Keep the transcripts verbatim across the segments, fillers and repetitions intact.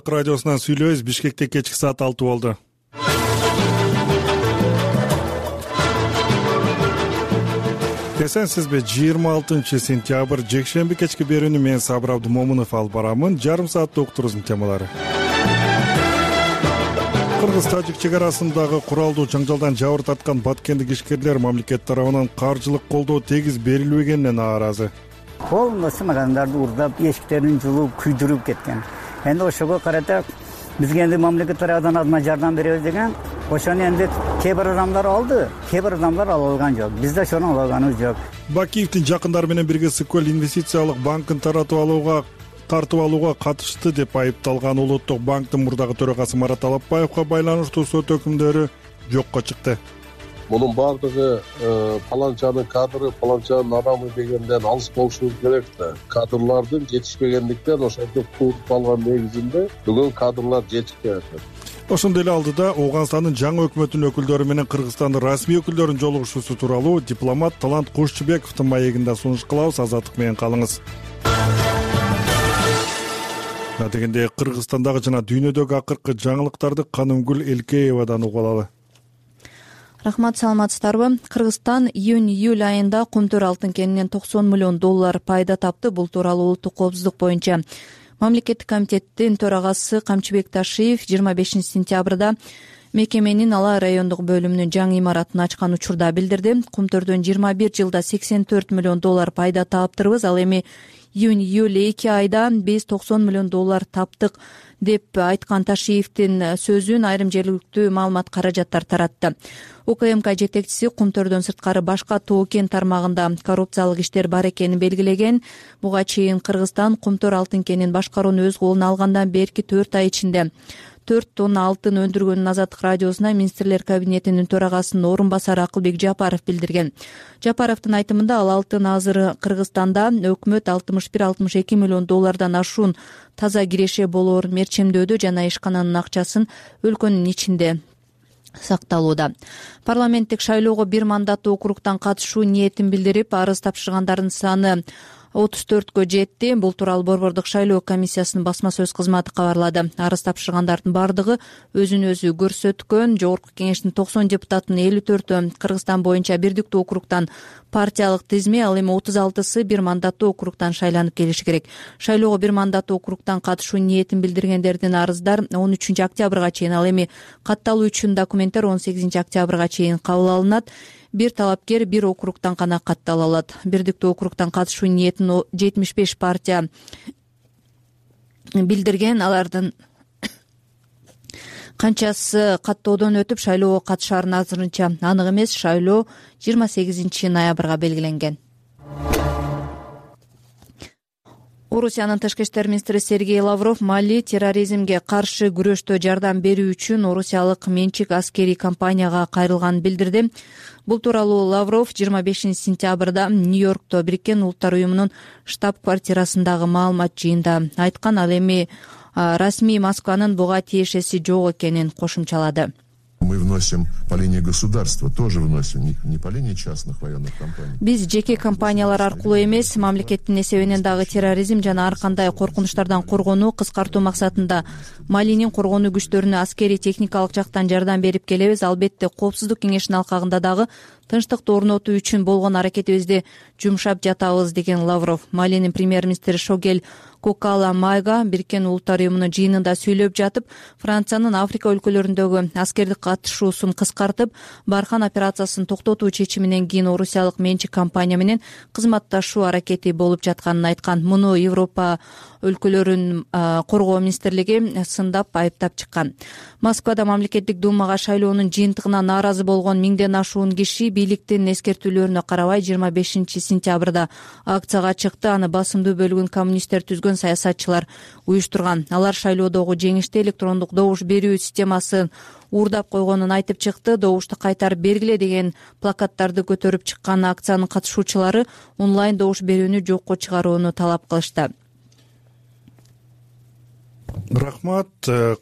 Радиосунан сүйлөйбүз. Бишкекте кечки саат алты болду. Эсенсизби? жыйырма алтынчы сентябрь жекшемби кечки берүүнү мен Сабыр Абдумомунов алып барамын. Жарым саатта уктуруздун темалары. Кыргыз-Тажик чек арасындагы куралдуу жаңжалдан жабыр тарткан баткендик ишкерлер мамлекет тарабынан каржылык колдоо тегиз берилбегенине нааразы. Колунда сынагандарды уурдап, эшиктерин жулуп, күйдүрүп кеткен. Энди ошого карата бизге энди мамлекет тарабынан азма жардам беребиз деген, ошону энди кээ бир адамдар алды, кээ бир адамдар ала алган жок. Биз да ошону ала алганыбыз жок. Бакиевдин жакындары менен бирге Сыкөл инвестициялык банкын таратып алууга тартып алууга катышты деп айыпталган Улуттук банктын мурдагы төрагасы Марат Алапбаевга байланыштуу сот өкүмдөрү жокко чыкты. Мунун баардыгы паланчанын кадры, паланчанын адамы дегенден алыс болушубуз керек да. Кадрлардын жетишпегендиктен ошентип курутуп алган негизинде бүгүн кадрлар жетишпей атат. Ошондой эле алдыда Ооганстандын жаңы өкмөтүнүн өкүлдөрү менен Кыргызстандын расмий өкүлдөрүнүн жолугушуусу тууралуу дипломат Талант Кушчубековдун маегинде сунуш кылабыз. Азаттык менен калыңыз. Дегенде Кыргызстандагы жана дүйнөдөгү акыркы жаңылыктарды Канымгүл Элкеевадан угуп алалы. Рахмат, саламатсыздарбы? Кыргызстан июнь-июль айында Кумтөр алтын кенинен токсон миллион доллар пайда тапты. Бул тууралуу улуттук коопсуздук боюнча мамлекеттик комитеттин төрагасы Камчыбек Ташиев жыйырма бешинчи сентябрда мекеменин Алай райондук бөлүмүнүн жаңы имаратын ачкан учурда билдирди. Кумтөрдөн жыйырма бир жылда сексен төрт миллион доллар пайда таптырбыз. Ал эми июнь-июль эки айда биз токсон миллион доллар таптык деп айткан Ташиевдин сөзүн айрым жергиликтүү маалымат каражаттар таратты. УКМК жетекчиси Кумтөрдөн сырткары башка тоо кен тармагында коррупциялык иштер бар экенин белгилеген. Буга чейин Кыргызстан Кумтөр алтын кенин башкарууну өз колуна алгандан берки төрт ай ичинде төрт тонна алтын өндүргөнүн Азаттык радиосуна министрлер кабинетинин төрагасынын орун басары Акылбек Жапаров билдирген. Жапаровдун айтымында ал алтын азыр Кыргызстанда өкмөт алтымыш бир алтымыш эки миллион доллардан ашуун таза киреше болоор мерчемдөөдө жана ишкананын акчасын өлкөнүн ичинде сакталууда. Парламенттик шайлоого бир мандаттуу округтан катышуу ниетин билдирип, арыз тапшыргандардын саны отуз төрткө жетти. Бул тууралуу Борбордук шайлоо комиссиясынын басма сөз кызматы кабарлады. Арыз тапшыргандардын бардыгы өзүн өзү көрсөткөн. Жогорку кеңештин токсон депутатынын элүү төртү Кыргызстан боюнча бирдиктүү округтан партиялык тизме, ал эми отуз алтысы бир мандаттуу округтан шайланып келиши керек. Шайлоого бир мандаттуу округтан катышуу ниетин билдиргендердин арыздар он үчүнчү октябрга чейин, ал эми катталуу үчүн документтер он сегизинчи октябрга чейин кабыл алынат. Бир талапкер бир округтан гана каттала алат. Бирдиктүү округтан катышуу ниетин жетимиш беш партия билдирген. Алардын канчасы каттоодон өтүп шайлоого катышарын азырынча анык эмес. Шайлоо жыйырма сегизинчи ноябрга белгиленген. Орусиянын тышкы иштер министри Сергей Лавров Мали терроризмге каршы күрөштө жардам берүү үчүн орусиялык менчик аскерий компанияга кайрылганын билдирди. Бул тууралуу Лавров жыйырма бешинчи сентябрда Нью-Йоркто Бириккен Улуттар уюмунун штаб-квартирасындагы маалымат жыйында айткан. Ал эми расмий Москванын буга тиешеси жок экенин кошумчалады. Мы вносим по линии государства, тоже вносим, не, не по линии частных военных компаний. Биз жеке компаниялар аркылуу эмес, мамлекеттин эсебинен дагы терроризм жана ар кандай коркунучтардан коргонуу, кыскартуу максатында Малинин коргонуу күчтөрүнө аскерий техникалык жактан жардам берип келебиз. Албетте, Коопсуздук кеңешинин алкагында дагы тынчтыкты орнотуу үчүн болгон аракетибизди жумшап жатабыз, деген Лавров. Малинин премьер-министри Шогель Кокала Майга Бириккен Улуттар уюмунун жыйынында сүйлөп жатып, Франциянын Африка өлкөлөрүндөгү аскердик катышуусун кыскартып, Бархан операциясын токтотуу чечиминен кийин орусиялык менчик компания менен кызматташуу аракети болуп жатканын айткан. Муну Европа өлкөлөрүн коргоо министрлиги сындап айыптап чыккан. Москвада мамлекеттик думага шайлоонун жыйынтыгына нааразы болгон миңден ашуун киши бийликтин эскертүүлөрүнө карабай жыйырма бешинчи сентябрда акцияга чыкты. Аны басымдуу бөлүгүн коммунисттер түзгөн саясатчылар уюштурган. Алар шайлоодогу жеңиште электрондук добуш берүү системасын уурдап койгонун айтып чыкты. Добушту кайтарып бергиле деген плакаттарды көтөрүп чыккан акциянын катышуучулары онлайн добуш берүүнү жокко чыгарууну талап кылышты. Рахмат.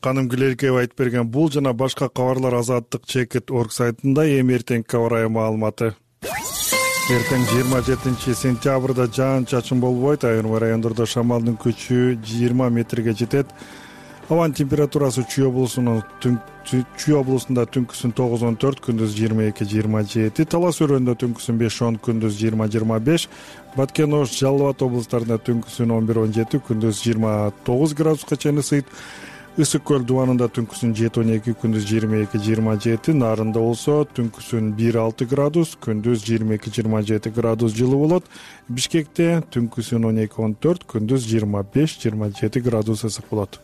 Канымгүл Элкеева айтып берген бул жана башка кабарлар Азаттык чекит орг сайтында. Эми эртеңки аба ырайы маалыматы. Эртең жыйырма жетинчи сентябрда жаан чачын болбойт. Айрым райондордо шамалдын күчү жыйырма метрге жетет. Абанын температурасы Чүй облусунун Чүй облусунда түнкүсүн тогуз он төрт, күндүз жыйырма эки жыйырма жети, Талас өрөөнүндө түнкүсүн беш он, күндүз жыйырма жыйырма беш, Баткен, Ош, Жалал Абад облустарында түнкүсүн он бир он жети, күндүз жыйырма тогуз градуска чейин ысыйт. Ысык көл дубанында түнкүсүн жети он эки, күндүз жыйырма эки жыйырма жети, Нарында болсо түнкүсүн бир алты градус, күндүз жыйырма эки жыйырма жети градус жылуу болот. Бишкекте түнкүсүн он эки он төрт, күндүз жыйырма беш жыйырма жети градус ысык болот.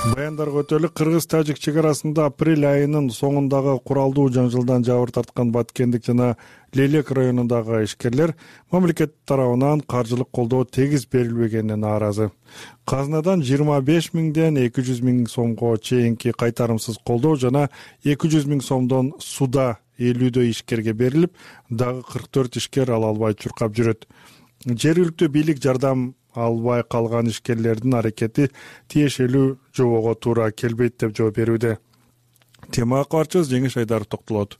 Баяндарга өтөлүк. Кыргыз-тажик чек арасында апрель айынын соңундагы куралдуу жаңжылдан жабыр тарткан Баткендик жана Лейлек районундагы ишкерлер мамлекет тарабынан каржылык колдоо тегиз берилбегенине нааразы. Казынадан жыйырма беш миңден эки жүз миң сомго чейинки кайтарымсыз колдоо жана эки жүз миң сомдон суда элүүдө ишкерге берилип, дагы кырк төрт ишкер ала албай чуркап жүрөт. Жергиликтүү бийлик жардам албай калган ишкерлердин аракети тиешелүү жобого туура келбейт деп жооп берүүдө. Темага кабарчыбыз Жеңиш Айдаров токтолот.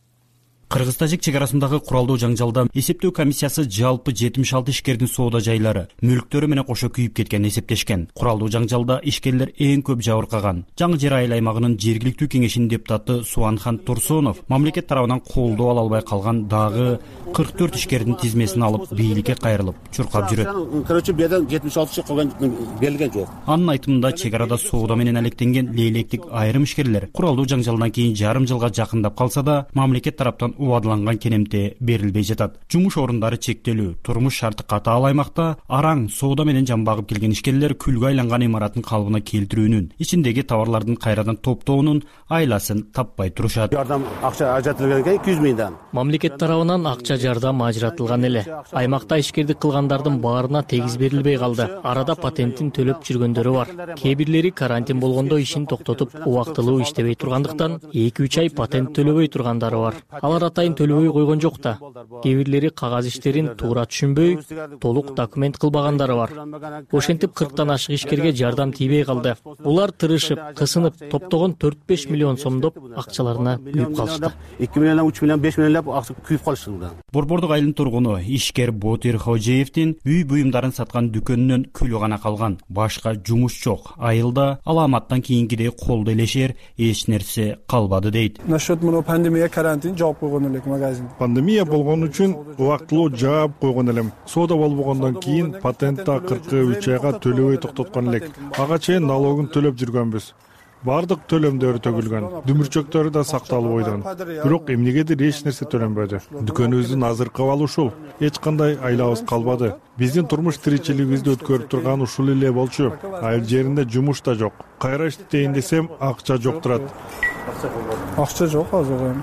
Кыргыз-тажик чек арасындагы куралдуу жаңжалда эсептөө комиссиясы жалпы жетимиш алты ишкердин соода жайлары, мүлктөрү менен кошо күйүп кеткенин эсептешкен. Куралдуу жаңжалда ишкерлер эң көп жабыркаган. Жаңы Жер айыл аймагынын жергиликтүү кеңешинин депутаты Суанхан Турсунов мамлекет тарабынан колдоо ала албай калган дагы кырк төрт ишкердин тизмесин алып бийликке кайрылып чуркап жүрөт. Короче, биядан жетимиш алты калган берилген жок. Анын айтымында чек арада соода менен алектенген лейлектик айрым ишкерлер куралдуу жаңжалдан кийин жарым жылга жакындап калса да мамлекет тараптан убадыланган кенемте берилбей жатат. Жумуш орундары чектелүү, турмуш шарты катаал аймакта араң соода менен жан багып келген ишкерлер күлгө айланган имаратын калыбына келтирүүнүн, ичиндеги товарлардын кайрадан топтоонун айласын таппай турушат. Жардам акча ажыратылган экен эки жүз миңден. Мамлекет тарабынан акча жардам ажыратылган эле. Аймакта ишкердик кылгандардын баарына тегиз берилбей калды. Арада патентин төлөп жүргөндөрү бар. Кээ бирлери карантин болгондо ишин токтотуп, убактылуу иштебей тургандыктан эки үч ай патент төлөбөй тургандары бар. Алар атайын төлөбөй койгон жок да. Кээ бирлери кагаз иштерин туура түшүнбөй, толук документ кылбагандары бар. Ошентип кырктан ашык ишкерге жардам тийбей калды. Улар тырышып, кысынып, топтогон төрт беш миллион сомдоп акчаларына күйүп калышты. эки миллион, үч миллион, беш миллионлап акча күйүп калышты. Борбордук айылдын тургуну ишкер Ботир Хожеевдин үй буюмдарын саткан дүкөнүнөн күлү гана калган. Башка жумуш жок. Айылда аламаттан кийинкидей колдо элешер эч нерсе калбады дейт. Насчет мына пандемия карантин жаап койгон элек магазин. Пандемия болгон үчүн убактылуу жаап койгон элем. Соода болбогондон кийин патентти кырк үч айга төлөбөй токтоткон элек. Ага чейин налогун төлөп жүргөнбүз. Бардык төлөмдөр төгүлгөн, дүмүрчөктөрү да сакталып ойдон. Бирок эмнегедир эч нерсе төлөнбөдү. Дүкөнүбүздүн азыркы абалы ушул. Эч кандай айлабыз калбады. Биздин турмуш тиричилигибизди өткөрүп турган ушул эле болчу. Айыл жеринде жумуш да жок. Кайра иштейин десем, акча жок турат. Акча жок азыр.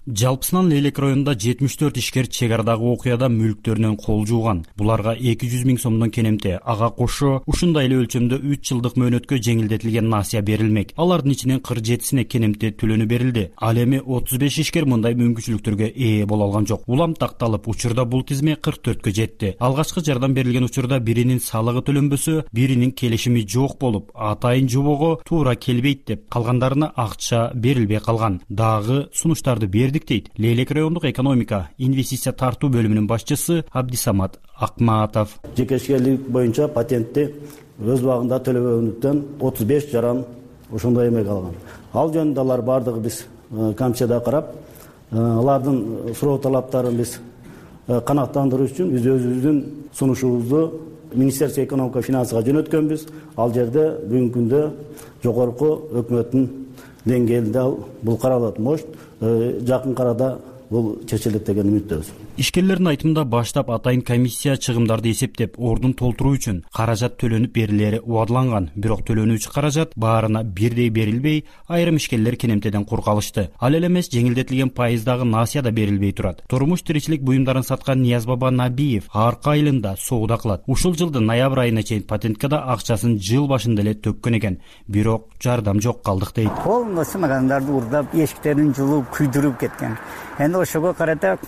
Жалпысынан Лейлек районунда жетимиш төрт ишкер чек арадагы окуяда мүлктөрүнөн кол жууган. Буларга эки жүз миң сомдон кенемте, ага кошо ушундай эле өлчөмдө үч жылдык мөөнөткө жеңилдетилген насыя берилмек. Алардын ичинен кырк жетисине кенемте төлөнү берилди. Ал эми отуз беш ишкер мындай мүмкүнчүлүктөргө ээ боло алган жок. Улам такталып, учурда бул тизме кырк төрткө жетти. Алгачкы жардам берилген учурда биринин салыгы төлөнбөсө, биринин келишими жок болуп, атайын жобого туура келбейт деп, калгандарына акча берилбей калган. Дагы сунуштарды берди дейт Лейлек райондук экономика инвестиция тартуу бөлүмүнүн башчысы Абдисамат Акматов. Жекешкелик боюнча патентти өз убагында төлөбөгөндүктөн отуз беш жаран ошондой эме калган. Ал жөнүндө алар бардыгы биз комиссияда карап, алардын суроо талаптарын биз канааттандыруу үчүн биз өзүбүздүн сунушубузду Министерство экономика финансыга жөнөткөнбүз. Ал жерде бүгүнкү күндө жогорку өкмөттүн деңгээлинде бул каралат. Мош жакын арада бул чечилет деген үмүттөбүз. Ишкерлердин айтымында баштап атайын комиссия чыгымдарды эсептеп, ордун толтуруу үчүн каражат төлөнүп берилери убадыланган. Бирок төлөнүүчү каражат баарына бирдей берилбей, айрым ишкерлер кенемтеден кур калышты. Ал эле эмес, жеңилдетилген пайыздагы насыя да берилбей турат. Турмуш тиричилик буюмдарын саткан Ниязбаба Набиев арка айылында соода кылат. Ушул жылдын ноябрь айына чейин патентке да акчасын жыл башында эле төккөн экен. Бирок жардам жок калдык дейт. Полностью магазиндарды урдап, эшиктерин жулуп, күйдүрүп кеткен. Энди ошого карата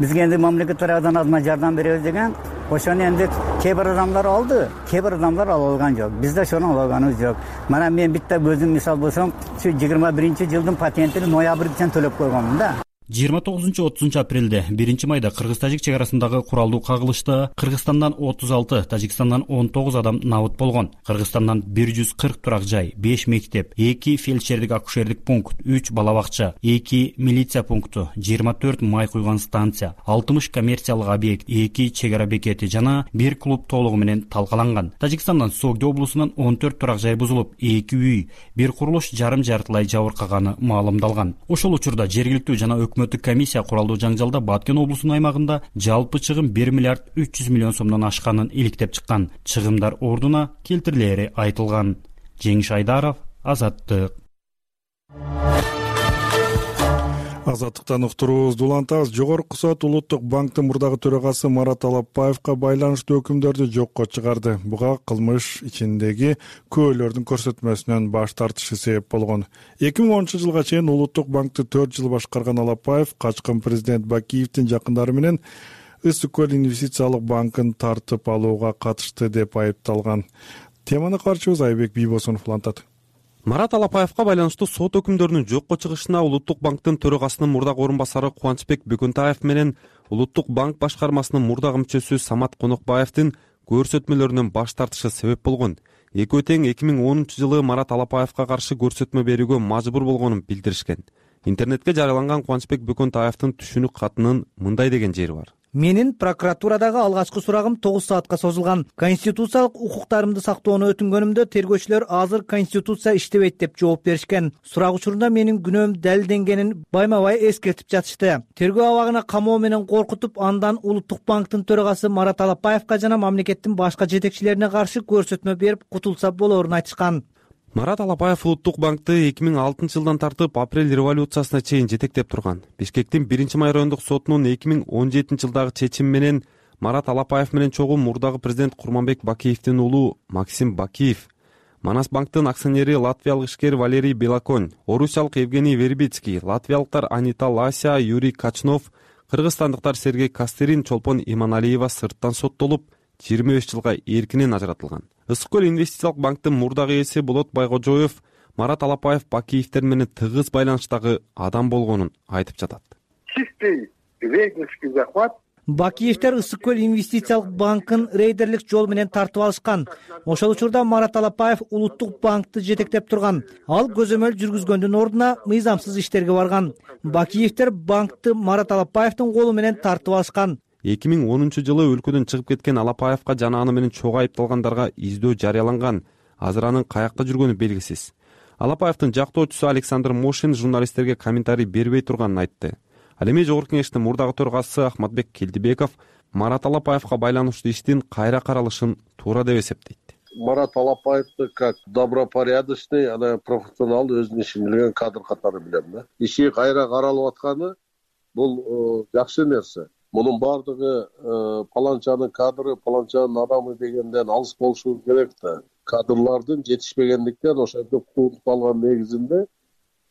бизге энди мамлекет тарабынан азма жардам беребиз деген, ошону энди кээ бир адамдар алды, кээ бир адамдар ала алган жок. Биз да ошону ала алганыбыз жок. Мана мен битте өзүм мисал болсом, ушу жыйырма биринчи жылдын патентин ноябрден төлөп койгонмун да. жыйырма тогузунчу отузунчу апрелде биринчи майда кыргыз-тажик чек арасындагы куралдуу кагылышта Кыргызстандан отуз алты, Тажикстандан он тогуз адам набыт болгон. Кыргызстандан бир жүз кырк турак жай, беш мектеп, эки фельдшердик акушердик пункт, үч бала бакча, эки милиция пункту, жыйырма төрт май куйган станция, алтымыш коммерциялык объект, эки чек ара бекети жана бир клуб толугу менен талкаланган. Тажикстандан Согди облусунан он төрт турак жай бузулуп, эки үй, бир курулуш жарым жартылай жабыркаганы маалымдалган. Ошол учурда жергиликтүү жана өкмөттүк комиссия куралдуу жаңжалда Баткен облусунун аймагында жалпы чыгым бир миллиард үч жүз миллион сомдон ашканын иликтеп чыккан. Чыгымдар ордуна келтирилери айтылган. Жеңиш Айдаров, Азаттык. Азаттыктан уктуруубузду улантабыз. Жогорку сот Улуттук банктын мурдагы төрагасы Марат Алапбаевга байланыштуу өкүмдөрдү жокко чыгарды. Буга кылмыш ичиндеги күбөлөрдүн көрсөтмөсүнөн баш тартышы себеп болгон. эки миң онунчу жылга чейин Улуттук банкты төрт жыл башкарган Алапбаев качкын президент Бакиевдин жакындары менен Ысык көл инвестициялык банкын тартып алууга катышты деп айыпталган. Теманы карчыбыз Айбек Бийбосунов улантат. Марат Алапбаевга байланыштуу сот өкүмдөрүнүн жокко чыгышына Улуттук банктын төрагасынын мурдагы орун басары Кубанычбек Бөкөнтаев менен Улуттук банк башкармасынын мурдагы мүчөсү Самат Конокбаевдин көрсөтмөлөрүнөн баш тартышы себеп болгон. Экөө тең эки миң онунчу жылы Марат Алапбаевга каршы көрсөтмө берүүгө мажбур болгонун билдиришкен. Интернетке жарыяланган Кубанычбек Бөкөнтаевдин түшүнүк катынын мындай деген жери бар. Менин прокуратурадагы алгачкы сурагым тогуз саатка созулган. Конституциялык укуктарымды сактоону өтүнгөнүмдө тергөөчүлөр азыр конституция иштебейт деп жооп беришкен. Сурак учурунда менин күнөөм далилденгенин байма-бай эскертип жатышты. Тергөө абагына камоо менен коркутуп, андан Улуттук банктын төрагасы Марат Алапбаевга жана мамлекеттин башка жетекчилерине каршы көрсөтмө берип кутулса болоорун айтышкан. Марат Алапбаев Улуттук банкты эки миң алтынчы жылдан тартып апрель революциясына чейин жетектеп турган. Бишкектин биринчи май райондук сотунун эки миң он жетинчи жылдагы чечими менен Марат Алапбаев менен чогуу мурдагы президент Курманбек Бакиевдин уулу Максим Бакиев, Манас банктын акционери латвиялык ишкер Валерий Белоконь, орусиялык Евгений Вербицкий, латвиялыктар Анита Лася, Юрий Качнов, кыргызстандыктар Сергей Кастерин, Чолпон Иманалиева сырттан соттолуп, жыйырма беш жылга эркинен ажыратылган. Ысык көл инвестициялык банктын мурдагы ээси Болот Байгожоев Марат Алапбаев Бакиевдер менен тыгыз байланыштагы адам болгонун айтып жатат. Чистый рейдерский захват. Бакиевдер Ысык көл инвестициялык банкын рейдерлик жол менен тартып алышкан. Ошол учурда Марат Алапбаев Улуттук банкты жетектеп турган. Ал көзөмөл жүргүзгөндүн ордуна мыйзамсыз иштерге барган. Бакиевдер банкты Марат Алапбаевдин колу менен тартып алышкан. эки миң онунчу жылы өлкөдөн чыгып кеткен Алапбаевга жана аны менен чогуу айыпталгандарга издөө жарыяланган. Азыр анын каякта жүргөнү белгисиз. Алапбаевдин жактоочусу Александр Мошин журналисттерге комментарий бербей турганын айтты. Ал эми Жогорку кеңештин мурдагы төрагасы Ахматбек Келдибеков Марат Алапбаевга байланыштуу иштин кайра каралышын туура деп эсептейт. Марат Алапбаевди как добропорядочный, ана профессионал, өзүнүн ишин билген кадр катары билем да. Иши кайра каралып атканы бул жакшы нерсе. Мунун бардыгы паланчанын кадры, паланчанын адамы дегенден алыс болушу керек да. Кадрлардын жетишпегендиктен ошентип кууруп калган негизинде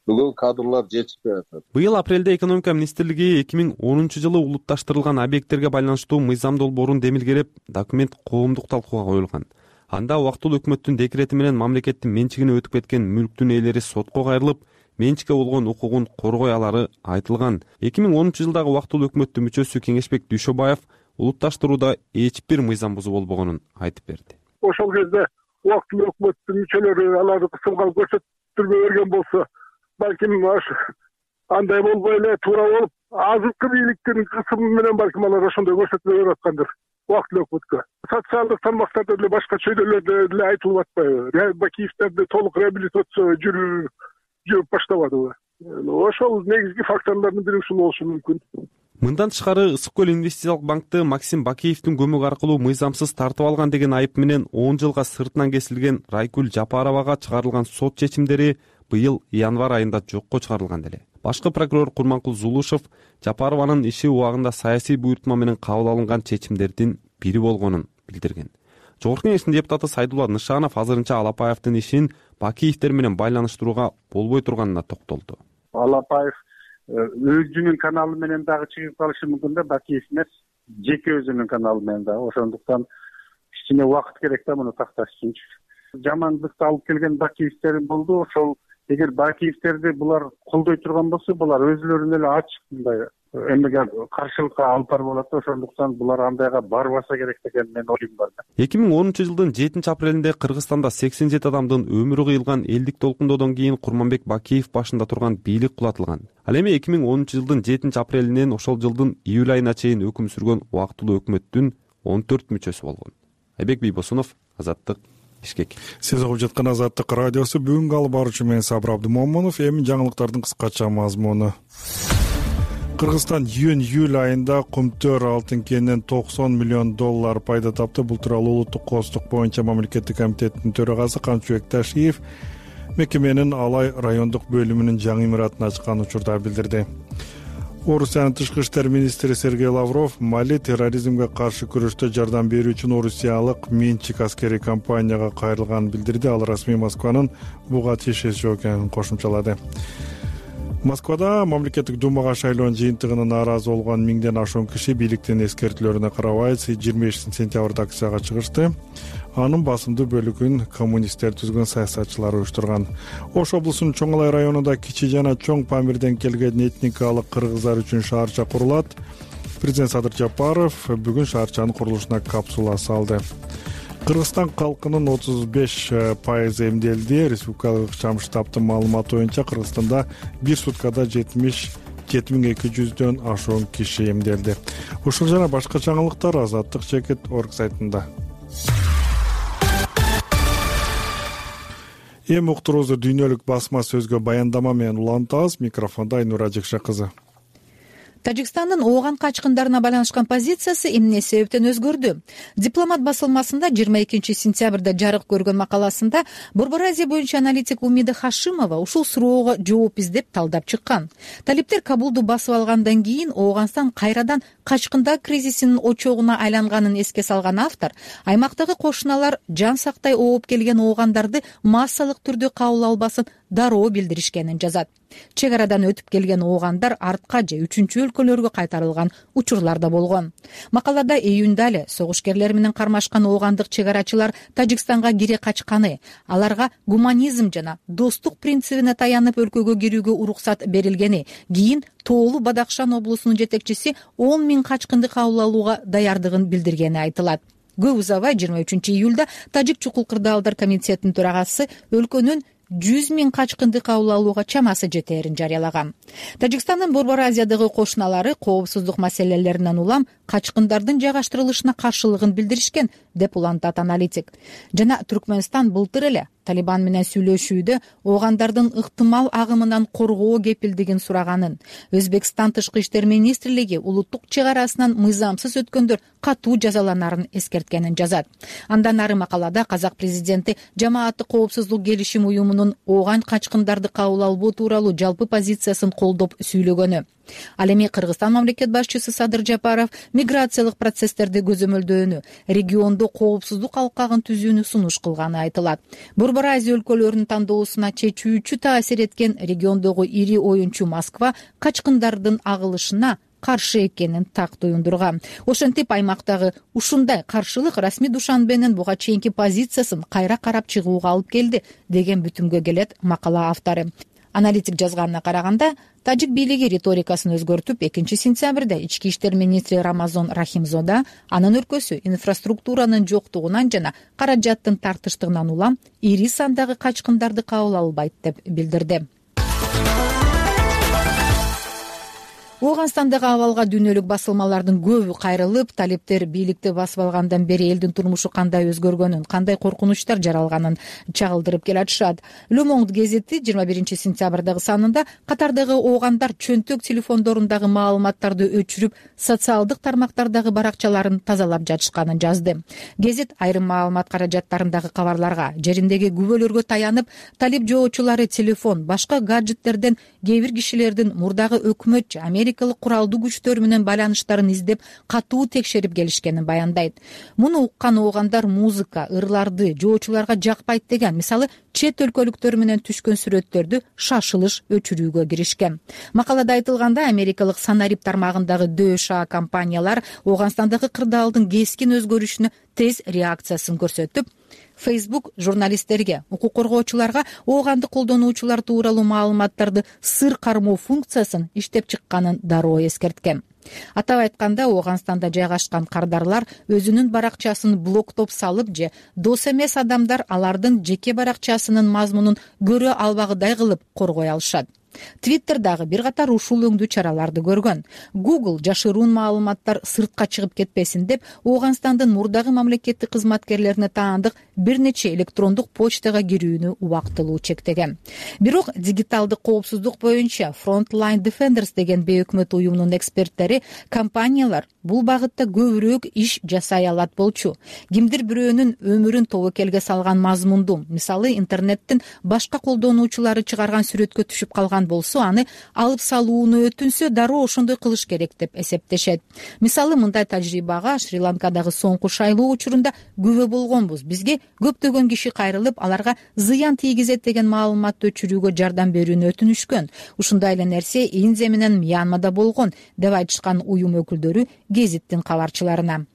бүгүн кадрлар жетишпей атат. Быйыл апрелде экономика министрлиги эки миң онунчу жылы улутташтырылган объекттерге байланыштуу мыйзам долбоорун демилгелеп, документ коомдук талкууга коюлган. Анда убактылуу өкмөттүн декрети менен мамлекеттин менчигине өтүп кеткен мүлктүн ээлери сотко кайрылып, менчикке болгон укугун коргой алары айтылган. эки миң онунчу жылдагы убактылуу өкмөттүн мүчөсү Кеңешбек Дүйшөбаев улутташтырууда эч бир мыйзам бузуу болбогонун айтып берди. Ошол кезде убактылуу өкмөттүн мүчөлөрү аларды кысымга көрсөтүрбөй берген болсо, балким андай болбой эле туура болуп, азыркы бийликтин кысымы менен балким алар ошондой көрсөтмө берип аткандыр убактылуу өкмөткө. Социалдык тармактарда деле башка чөйрөлөрдө деле айтылып атпайбы? Бакиевдерди толук реабилитация жүрүп жүрүп баштабадыбы? Ошол негизги факторлордун бири ушул болушу мүмкүн. Мындан тышкары Ысык көл инвестициялык банкты Максим Бакиевдин көмөгү аркылуу мыйзамсыз тартып алган деген айып менен он жылга сыртынан кесилген Райкүл Жапаровага чыгарылган сот чечимдери быйыл январь айында жокко чыгарылган деле. Башкы прокурор Курманкул Зулушев Жапарованын иши убагында саясий буйртма менен кабыл алынган чечимдердин бири болгонун билдирген. Жогорку кеңештин депутаты Сайдулла Нышанов азырынча Алапбаевдин ишин Бакиевдер менен байланыштырууга болбой турганына токтолду. Алапбаев өзүнүн каналы менен дагы чыгып калышы мүмкүн да, Бакиев эмес, жеке өзүнүн каналы менен дагы. Ошондуктан кичине убакыт керек да муну такташ үчүн. Жамандыкты алып келген Бакиевдер болду, ошол эгер Бакиевтерди булар колдой турган болсо, булар өзүлөрүнө эле ачык мындай эмеге каршылыкка алып барып болот да, ошондуктан булар андайга барбаса керек деген мен оюм бар. эки миң онунчу жылдын жетинчи апрелинде Кыргызстанда сексен жети адамдын өмүрү кыйылган элдик толкундоодон кийин Курманбек Бакиев башында турган бийлик кулатылган. Ал эми эки миң онунчу жылдын жетинчи апрелинен ошол жылдын июль айына чейин өкүм сүргөн убактылуу өкмөттүн он төрт мүчөсү болгон. Айбек Бийбосунов, Азаттык, Бишкек. Сиз угуп жаткан Азаттык радиосу. Бүгүнкү алып баруучу мен Сабыр Абдымомунов. Эми жаңылыктардын кыскача мазмуну. Кыргызстан июнь-июль айында кумтөр алтын кенинен токсон миллион доллар пайда тапты. Бул тууралуу улуттук кооздук боюнча мамлекеттик комитеттин төрагасы Камчыбек Ташиев мекеменин Алай райондук бөлүмүнүн жаңы имаратын ачкан учурда билдирди. Орусиянын тышкы иштер министри Сергей Лавров Мали терроризмге каршы күрөштө жардам берүү үчүн орусиялык Менчик аскерий компанияга кайрылганын билдирди. Ал расмий Москванын буга тиешеси экенин кошумчалады. Москвада мамлекеттик думага шайлоонун жыйынтыгына нааразы болгон миңден ашуун киши бийликтин эскертүүлөрүнө карабай жыйырма бешинчи сентябрда акцияга чыгышты. Анын басымдуу бөлүгүн коммунисттер түзгөн саясатчылар уюштурган. Ош облусунун Чоң Алай районунда кичи жана чоң Памирден келген этникалык кыргыздар үчүн шаарча курулат. Президент Садыр Жапаров бүгүн шаарчанын курулушуна капсула салды. Кыргызстан калкынын отуз беш пайызы эмделди. Республикалык ыкчам штабтын маалыматы боюнча Кыргызстанда бир суткада жетимиш жети миң эки жүздөн ашуун киши эмделди. Ушул жана башка жаңылыктар азаттык чекит точка орг сайтында. Эми уктуруубузду дүйнөлүк басма сөзгө баяндама менен улантабыз. Микрофондо Айнура Жекше кызы. Тажикстандын ооган качкындарына байланышкан позициясы эмне себептен өзгөрдү? Дипломат басылмасында жыйырма экинчи сентябрда жарык көргөн макаласында Борбор Азия боюнча аналитик Умида Хашимова ушул суроого жооп издеп талдап чыккан. Талиптер Кабулду басып алгандан кийин Ооганстан кайрадан качкындар кризисинин очогуна айланганын эске салган автор, аймактагы кошуналар жан сактай ооп келген оогандарды массалык түрдө кабыл албасын дароо билдиришкенин жазат. Чек арадан өтүп келген оогандар артка же үчүнчү өлкөлөргө кайтарылган учурлар да болгон. Макалада июнда эле согушкерлер менен кармашкан оогандык чек арачылар Тажикстанга кире качканы, аларга гуманизм жана достук принцибине таянып өлкөгө кирүүгө уруксат берилгени, кийин Тоолу Бадакшан облусунун жетекчиси он миң качкынды кабыл алууга даярдыгын билдиргени айтылат. Көп узабай жыйырма үчүнчү июлда Тажик чукул кырдаалдар комитетинин төрагасы өлкөнүн жүз миң качкынды кабыл алууга чамасы жетээрин жарыялаган. Тажикстандын Борбор Азиядагы кошуналары коопсуздук маселелеринен улам качкындардын жайгаштырылышына каршылыгын билдиришкен, деп улантат аналитик. Жана Түркмөнстан былтыр эле Талибан менен сүйлөшүүдө оогандардын ыктымал агымынан коргоо кепилдигин сураганын, Өзбекстан тышкы иштер министрлиги улуттук чек арасынан мыйзамсыз өткөндөр катуу жазаланарын эскерткенин жазат. Андан ары макалада казак президенти жамааттык коопсуздук келишим уюмунун ооган качкындарды кабыл албоо тууралуу жалпы позициясын колдоп сүйлөгөнү. Ал эми Кыргызстан мамлекет башчысы Садыр Жапаров миграциялык процесстерди көзөмөлдөөнү, региондо коопсуздук алкагын түзүүнү сунуш кылганы айтылат. Борбор Азия өлкөлөрүнүн тандоосуна чечүүчү таасир эткен региондогу ири оюнчу Москва качкындардын агылышына каршы экенин так туюндурган. Ошентип аймактагы ушундай каршылык расмий Душанбенин буга чейинки позициясын кайра карап чыгууга алып келди, деген бүтүмгө келет макала автору. Аналитик жазганына караганда, тажик бийлиги риторикасын өзгөртүп, экинчи сентябрда ички иштер министри Рамазон Рахимзода анын өлкөсү инфраструктуранын жоктугунан жана каражаттын тартыштыгынан улам ири сандагы качкындарды кабыл албайт деп билдирди. Ооганстандагы абалга дүйнөлүк басылмалардын көбү кайрылып, талиптер бийликти басып алгандан бери элдин турмушу кандай өзгөргөнүн, кандай коркунучтар жаралганын чагылдырып келатышат. Le Monde гезити жыйырма биринчи сентябрдагы санында катардагы оогандар чөнтөк телефондорундагы маалыматтарды өчүрүп, социалдык тармактардагы баракчаларын тазалап жатышканын жазды. Гезит айрым маалымат каражаттарындагы кабарларга, жериндеги күбөлөргө таянып, талип жоочулары телефон, башка гаджеттерден кээ бир кишилердин мурдагы өкмөт же Америка куралдуу күчтөр менен байланыштарын издеп, катуу текшерип келишкенин баяндайт. Муну уккан оогандар музыка, ырларды жоочуларга жакпайт деген, мисалы, чет өлкөлүктөр менен түшкөн сүрөттөрдү шашылыш өчүрүүгө киришкен. Макалада айтылганда, америкалык Санарип тармагындагы ДШ компаниялар Ооганстандагы кырдаалдын кескин өзгөрүшүнө тез реакциясын көрсөтүп, Facebook журналисттерге, укук коргоочуларга оогандык колдонуучулар тууралуу маалыматтарды сыр кармоо функциясын иштеп чыкканын дароо эскерткен. Атап айтканда, Ооганстанда жайгашкан кардарлар өзүнүн баракчасын блоктоп салып же дос эмес адамдар алардын жеке баракчасынын мазмунун көрө албагыдай кылып коргой алышат. Twitter дагы бир катар ушул өңдүү чараларды көргөн. Google жашыруун маалыматтар сыртка чыгып кетпесин деп, Ооганстандын мурдагы мамлекеттик кызматкерлерине таандык бир нече электрондук почтага кирүүнү убактылуу чектеген. Бирок дигиталдык коопсуздук боюнча Frontline Defenders деген бейөкмөт уюмунун эксперттери компаниялар бул багытта көбүрөөк иш жасай алат болчу. Кимдир бирөөнүн өмүрүн тобокелге салган мазмунду, мисалы интернеттин башка колдонуучулары чыгарган сүрөткө түшүп калган болсо, аны алып салууну өтүнсө, дароо ошондой кылыш керек деп эсептешет. Мисалы, мындай тажрыйбага Шри-Ланкадагы соңку шайлоо учурунда күбө болгонбуз. Бизге көптөгөн киши кайрылып, аларга зыян тийгизет деген маалыматты өчүрүүгө жардам берүүнү өтүнүшкөн. Ушундай эле нерсе Индия менен Мьянмада болгон, деп айтышкан уюм өкүлдөрү гезиттин кабарчыларына.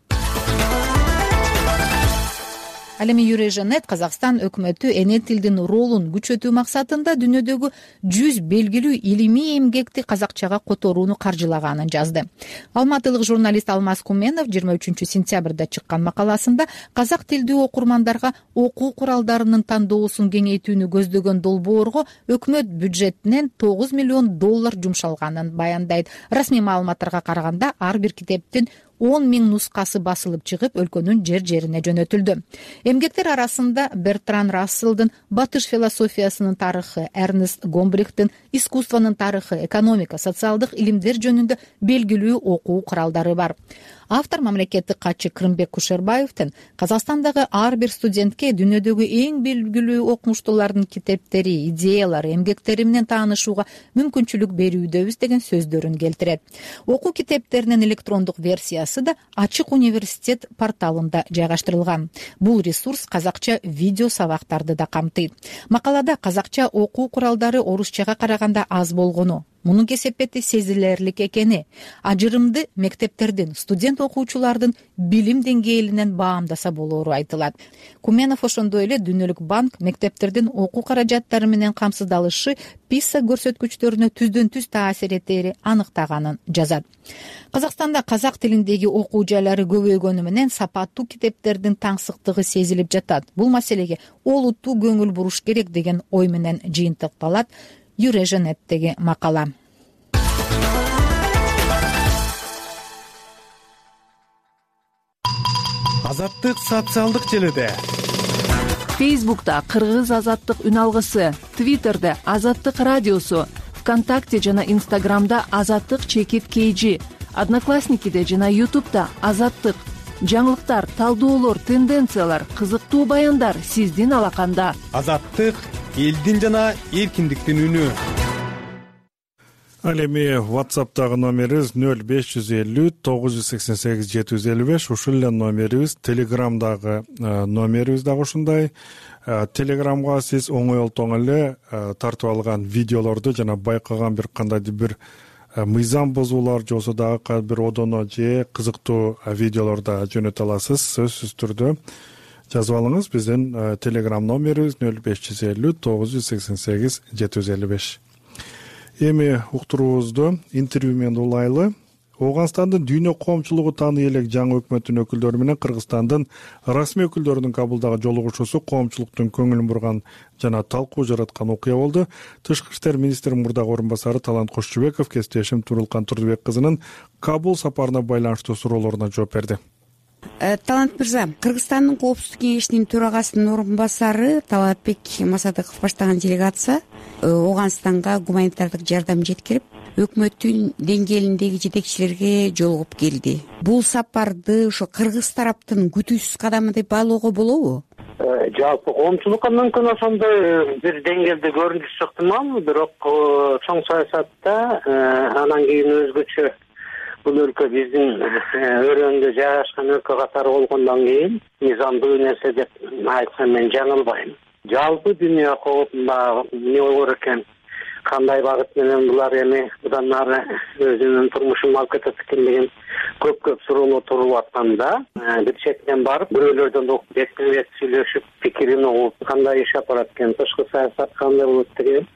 Ал эми Юрежанет Казакстан өкмөтү эне тилдин ролун күчөтүү максатында дүйнөдөгү жүз белгилүү илимий эмгекти казакчага которууну каржылаганын жазды. Алматылык журналист Алмаз Куменов жыйырма үчүнчү сентябрда чыккан макаласында казак тилдүү окурмандарга окуу куралдарынын тандоосун кеңейтүүнү көздөгөн долбоорго өкмөт бюджетинен тогуз миллион доллар жумшалганын баяндайт. Расмий маалыматтарга караганда, ар бир китептин он миң нускасы басылып чыгып, өлкөнүн жер-жерине жөнөтүлдү. Эмгектер арасында Бертран Расселдын батыш философиясынын тарыхы, Эрнест Гомбрихтин искусствонун тарыхы, экономика, социалдык илимдер жөнүндө белгилүү окуу куралдары бар. Автор мамлекеттик катчы Кырымбек Кушербаевдин Казакстандагы ар бир студентке дүйнөдөгү эң белгилүү окумуштуулардын китептери, идеялары, эмгектери менен таанышууга мүмкүнчүлүк берүүдөбүз деген сөздөрүн келтирет. Окуу китептеринин электрондук версиясы да Ачык университет порталында жайгаштырылган. Бул ресурс казакча видео сабактарды да камтыйт. Макалада казакча окуу куралдары орусчага караганда аз болгону, мунун кесепети сезилерлик экени, ажырымды мектептердин, студент окуучулардын билим деңгээлинен баамдаса болоору айтылат. Куменов ошондой эле Дүйнөлүк банк мектептердин окуу каражаттары менен камсыздалышы писа көрсөткүчтөрүнө түздөн түз таасир этери аныктаганын жазат. Казакстанда казак тилиндеги окуу жайлары көбөйгөнү менен сапаттуу китептердин таңсыктыгы сезилип жатат. Бул маселеге олуттуу көңүл буруш керек деген ой менен жыйынтыкталат Юрежанеттеги макала. Азаттык социалдык желеде. Фейсбукта Кыргыз азаттык үн алгысы, Твиттерде Азаттык радиосу, ВКонтакте жана Инстаграмда Азаттык чекит кейжи, Одноклассникиде жана Ютубта Азаттык. Жаңылыктар, талдоолор, тенденциялар, кызыктуу баяндар сиздин алаканда. Азаттык элдин жана эркиндиктин үнү. Ал эми WhatsApp'тагы номерибиз нөл беш жүз элүү тогуз жүз сексен сегиз жети жүз элүү беш, ушул эле номерибиз. Telegram'дагы номерибиз дагы ушундай. Telegram'га сиз оңойлтоң эле тартып алган видеолорду жана байкаган бир кандайдыр бир мыйзам бузуулар же болбосо дагы бир одоно же кызыктуу видеолорду жөнөтө аласыз. Сөзсүз түрдө жазып алыңыз. Биздин Telegram номерибиз нөл беш жүз элүү тогуз жүз сексен сегиз жети жүз элүү беш. Эми уктуруубузду интервью менен улайлы. Ооганстандын дүйнө коомчулугу тааный элек жаңы өкмөттүн өкүлдөрү менен Кыргызстандын расмий өкүлдөрүнүн Кабулдагы жолугушуусу коомчулуктун көңүлүн бурган жана талкуу жараткан окуя болду. Тышкы иштер министринин мурдагы орун басары Талант Кошчубеков кесиптешим Турулкан Турдубек кызынын Кабул сапарына байланыштуу суроолоруна жооп берди. Талант мырза, Кыргызстандын коопсуздук кеңешинин төрагасынын орун басары Талантбек Масадыков баштаган делегация Ооганстанга гуманитардык жардам жеткирип, өкмөттүн деңгээлиндеги жетекчилерге жолугуп келди. Бул сапарды ошо кыргыз тараптын күтүүсүз кадамы деп баалоого болобу? Жалпы коомчулукка мүмкүн ошондой бир деңгээлде көрүнүшү ыктымал, бирок чоң саясатта анан кийин өзгөчө бул өлкө биздин өрөөндө жайгашкан өлкө катары болгондон кийин мыйзамдуу нерсе деп айтсам мен жаңылбайм. Жалпы дүйнө коопунда эмне болор экен? кандай багыт менен булар эми мындан ары өзүнүн турмушун алып кетет экен деген көп көп суроолор туруп атканда бир четинен барып бирөөлөрдөн угуп бетме бет сүйлөшүп пикирин угуп кандай иш алып барат экен, тышкы саясат кандай болот деген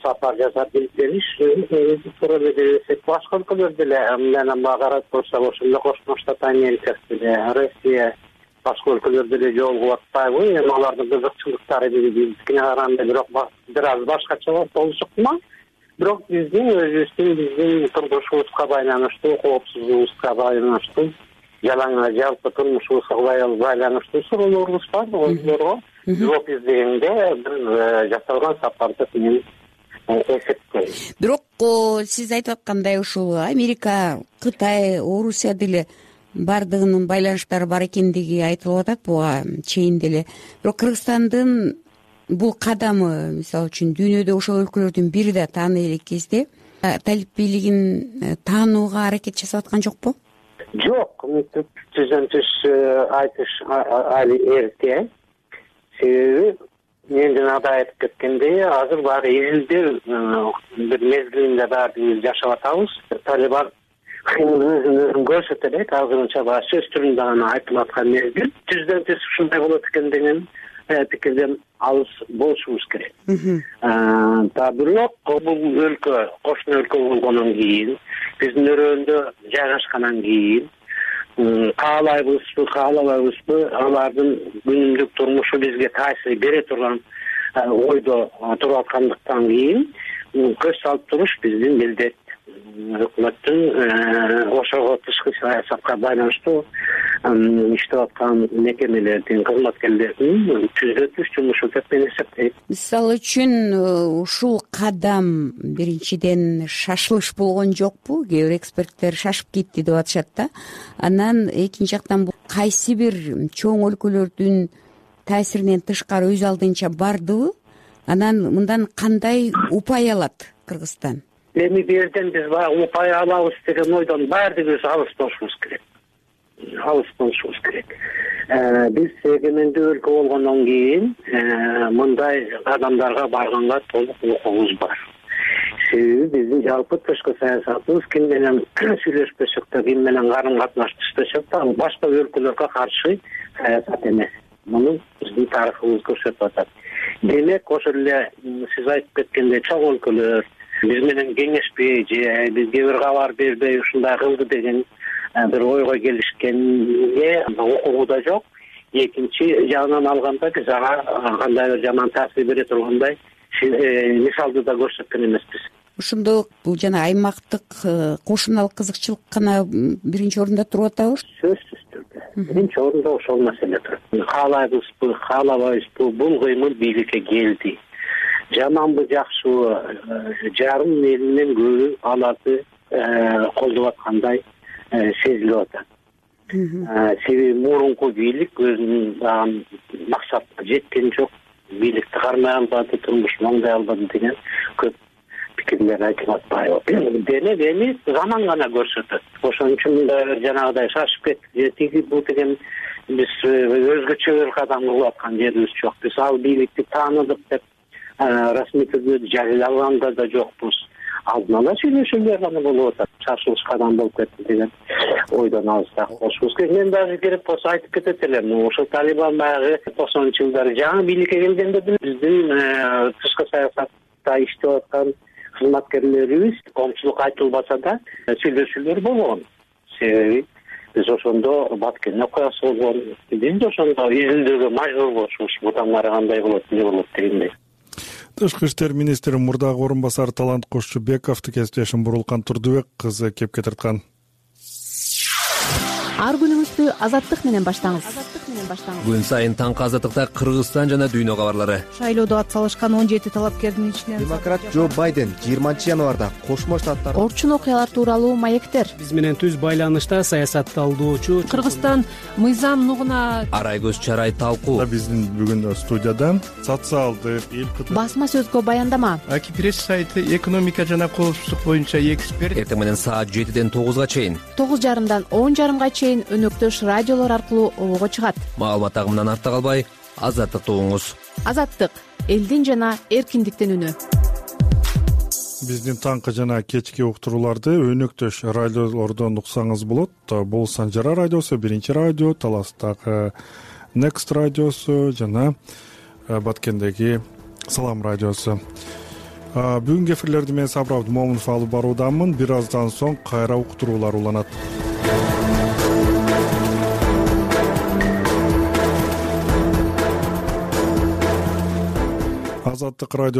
сапар жасап билип негизи туура эле десек башка өлкөлөр деле менен багарат болсок ошондой Кошмо Штат Америка деле Россия башка өлкөлөр деле жолугуп атпайбы? Эми алардын кызыкчылыктары биздикине караганда бирок бир аз башкача болушу ыктымал. Бирок биздин өзүбүздүн биздин турмушубузга байланыштуу, коопсуздугубузга байланыштуу, жалаң жалпы турмушубузга байланыштуу суроолорубуз бар. Ойлорго жооп издегенде бир жасалган сапарды мен эсептейм. Бирок сиз айтып аткандай ушул Америка, Кытай, Орусия деле баардыгынын байланыштары бар экендиги айтылып атат буга чейин деле. Бирок Кыргызстандын бул кадамы, мисалы үчүн дүйнөдө ошол өлкөлөрдүн бири да тааный элек кезде талип бийлигин таанууга аракет жасап аткан жокпу? Жок, түздөн түз айтыш али эрте. Себеби мен жанагыда айтып кеткендей, азыр баары изилдөө бир мезгилинде баары жашап атабыз. Талибан өзүн өзүн көрсөтө элек, азырынча баары сөз түрүндө гана айтылып аткан мезгил. Түздөн түз ушундай болот экен деген пикирден алыс болушубуз керек. Да бирок бул өлкө кошуна өлкө болгондон кийин, биздин өрөөндө жайгашкандан кийин каалайбызбы, каалабайбызбы, алардын күнүмдүк турмушу бизге таасир бере турган ойдо туруп аткандыктан кийин көз салып туруш биздин милдет. Өкмөттүн ошого тышкы саясатка байланыштуу иштеп аткан мекемелердин кызматкерлеринин түздөн түз жумушу деп мен эсептейм. Мисалы үчүн ушул кадам биринчиден шашылыш болгон жокпу? Кээ бир эксперттер шашып кетти деп атышат да. Анан экинчи жактан кайсы бир чоң өлкөлөрдүн таасиринен тышкары өз алдынча бардыбы? Анан мындан кандай упай алат Кыргызстан? Эми бул жерден биз баягы упай алабыз деген ойдон баардыгыбыз алыс болушубуз керек. Алыс болушубуз керек. Биз эгемендүү өлкө болгондон кийин мындай адамдарга барганга толук укугубуз бар. Себеби биздин жалпы тышкы саясатыбыз ким менен сүйлөшпөсөк да, ким менен карым катнаштырбасак да, ал башка өлкөлөргө каршы саясат эмес. Муну биздин тарыхыбыз көрсөтүп атат. Демек, ошол эле сиз айтып кеткендей чоң өлкөлөр биз менен кеңешпей же бизге бир кабар бербей ушундай кылды деген бир ойго келишкенге укугу да жок. Экинчи жагынан алганда биз ага кандай бир жаман таасир бере тургандай мисалды да көрсөткөн эмеспиз. Ошондо бул жана аймактык кошуналык кызыкчылык гана биринчи орунда туруп атабы? Сөзсүз түрдө биринчи орунда ошол маселе турат. Каалайбызбы, каалабайбызбы, бул кыймыл бийликке келди. Жаманбы, жакшыбы, жарым элинен көбү аларды колдоп аткандай сезилип атат. Себеби мурунку бийлик өзүнүн максатына жеткен жок, бийликти кармай албады, турмушун оңдой албады деген көп пикирлер айтылып атпайбы? Демек эми заман гана көрсөтөт. Ошон үчүн жанагыдай шашып кеттик же тиги бул деген биз өзгөчө бир кадам кылып аткан жерибиз жок. Биз ал бийликти тааныдык деп расмий түрдө жарыялаганда да жокпуз. Алдын ала сүйлөшүүлөр гана болуп атат. Шашылыш кадам болуп кетти деген ойдон алыстак болушубуз керек. Мен дагы керек болсо айтып кетет элем. Ошол Талибан баягы токсонунчу жылдары жаңы бийликке келгенде биздин тышкы саясатта иштеп аткан кызматкерлерибиз коомчулукка айтылбаса да сүйлөшүүлөр болгон. Себеби биз ошондо Баткен окуясы болгон. Биз ошондо изилдөөгө мажбур болушубуз. Будан ары кандай болот, эмне болот дегендей. Тышкы иштер министри мурдагы орун басары Талант Кошчубековду кесиптешим Бурулкан Турдубек кызы кепке тарткан. Ар күнүңүздү азаттык менен баштаңыз. Күн сайын таңкы азаттыкта Кыргызстан жана дүйнө кабарлары. Шайлоодо ат салышкан он жети талапкердин ичинен демократ Джо Байден жыйырманчы январда Кошмо Штаттар орчун окуялар тууралуу маектер. Биз менен түз байланышта саясат талдоочу Кыргызстан мыйзам нугуна арай көз чарай талкуу. Биздин бүгүн студиядан социалдык эл басма сөзгө баяндама. Аки пресс сайты экономика жана коопсуздук боюнча эксперт. Эртең менен саат жетиден тогузга чейин, тогуз жарымдан он жарымга чейин өнөктөш радиолор аркылуу обого чыгат. Маалымат агымынан артта калбай, азаттыкты угуңуз. Азаттык — элдин жана эркиндиктин үнү. биздин таңкы жана кечки уктурууларды өнөктөш радиолордон уксаңыз болот. Бул Санжара радиосу, Биринчи радио, Таластагы Next радиосу жана Баткендеги Салам радиосу. Бүгүнкү эфирлерди мен Сабыр Абдымомунов алып баруудамын. Бир аздан соң кайра уктуруулар уланат. Азаттык радиосу